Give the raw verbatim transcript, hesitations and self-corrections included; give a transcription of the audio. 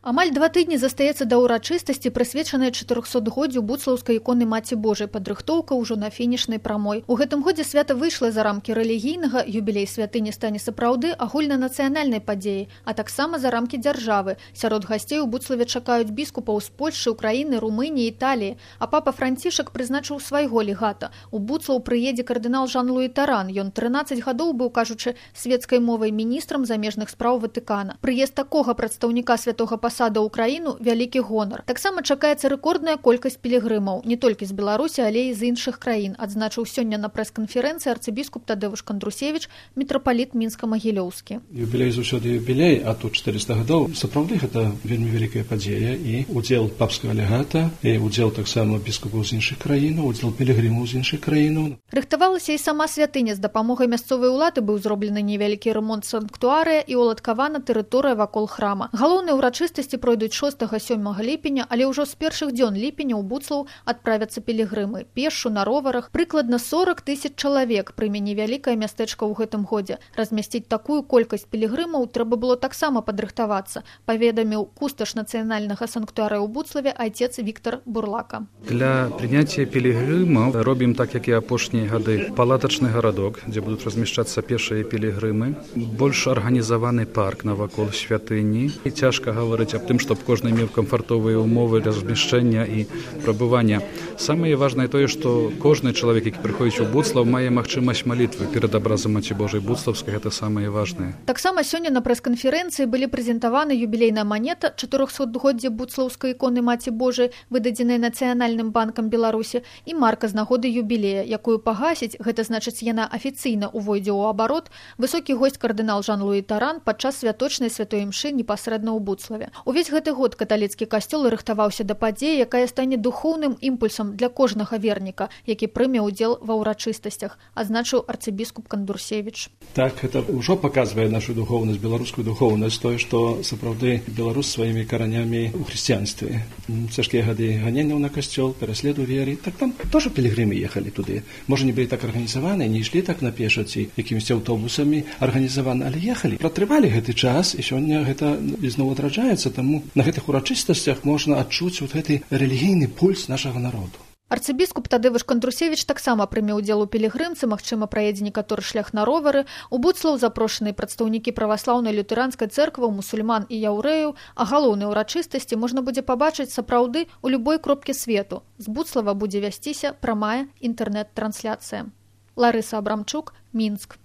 Амаль два тыдні застаецца да ўрачыстасці, прысвечанай чатырохсотгоддзю буцлаўскай іконы Маці Божай, падрыхтоўка ўжо на фінішнай прамой. У гэтым годзе свята выйшла за рамкі рэлігійнага, юбілей святыні стане сапраўды агульнанацыянальнай падзеяй, а таксама за рамкі дзяржавы. Сярод гасцей у Буцлаве чакаюць біскупаў з Польшчы, Украіны, Румыніі, Італіі, а папа Францішак прызначыў свайго легата. У Буцлаў прыедзе кардынал Жан-Луі Таран. Ён трынаццаць гадоў быў, кажучы, свецкай мовай міністрам замежных спраў Ватыкана. Прыезд такога прадстаўніка святога пасада ў краіну вялікі гонар. Таксама чакаецца рэкордная колькасць пілігрымаў, не толькі з Беларусі, але і з іншых краін, адзначыў сёння на прэс-канферэнцыі арцыбіскуп Тадэвуш Кандрусевіч, мітрапаліт Мінска-Магілёўскі. Юбілей заўсёды юбілей, а тут чатырыста гадоў. Сапраўды гэта вельмі вялікая падзея, і удзел папскага легата, і удзел таксама біскупаў з іншых краінаў, удзел пілігрымаў з іншых краінаў. Рыхтавалася і сама святыня. З дапамогай мясцовай улады быў зроблены невялікі рамонт санктуарыя і уладкавана тэрыторыя вакол храма. Галоўныя ўрачыстасці пройдуць шостага-сёмага ліпеня, але ўжо з першых дзён ліпеня ў Буцлаў адправяцца пілігрымы. Пешшу на роварах прыкладна сорак тысяч чалавек прыме невялікае мястэчка ў гэтым годзе. Размясціць такую колькасць пілігрымаў трэба было таксама падрыхтавацца, паведаміў кусташ нацыянальнага санктуарыя ў Буцлаве айцец Віктор Бурлака. Для прыняцця пілігрымаў робім так, як і апошнія гады. Палатачны гарадок, дзе будуць размяшчацца пешыя пілігрымы, больш арганізаваны парк навакол святыні. І цяжка гаварыць аб тым, чтобы кожны меў камфортовыя умовы размяшчэння і прабывання. Самае важнае тое, што кожны чалавек, які прыходзіць у Буцлаў, мае магчымасць малітвы перад абразам Маці Божай Буцлаўскай, гэта самае важнае. Таксама сёння на прэс-канферэнцыі былі прэзентаваны юбілейная манета чатырохсотгоддзя буцлаўскай іконы Маці Божай, выдадзеная Нацыянальным банкам Беларусі, і марка з нагоды юбілея, якую пагасіць, гэта значыць, яна афіцыйна ўвойдзе ў абарот, высокі госць кардынал Жан-Луі Таран падчас святочнай святой імшы непасрэдна ў Буцлаве. Увесь гэты год каталіцкі касцёл рыхтаваўся да падзеі, якая стане духоўным імпульсам для кожнага верніка, які прыме ўдзел ва ўрачыстасцях, адзначыў арцыбіскуп Кандрусевіч. Так, гэта ўжо паказвае нашу духоўнасць, беларускую духоўнасць, тое, што сапраўды беларус сваімі каранямі ў хрысціянстве. Цяжкія гады ганенняў на касцёл, пераследу веры, так там тоже пілігрымы ехалі туды. Можа, не былі так арганізаваны, не ішлі так на пешаці, якімісьці аўтобусамі арганізаваны, але ехалі. Пратрывалі гэты час, і сёння гэта зноў адраджаецца, таму на гэтых урачыстасцях можна адчуць вот гэты рэлігійны пульс нашага народу. Арцыбіскуп Тадэвуш Кандрусевіч таксама прыме ўдзел у пілігрымцы, магчыма, праедзе некаторы шлях на ровары. У Буцлаў запрошаныя прадстаўнікі праваслаўнай лютэранскай цэрквы, мусульман і яўрэяў, а галоўныя ўрачыстасці можна будзе пабачыць сапраўды ў любой кропкі свету. З Буцлава будзе вясціся прамая інтэрнэт-трансляцыя. Ларыса Абрамчук, Мінск.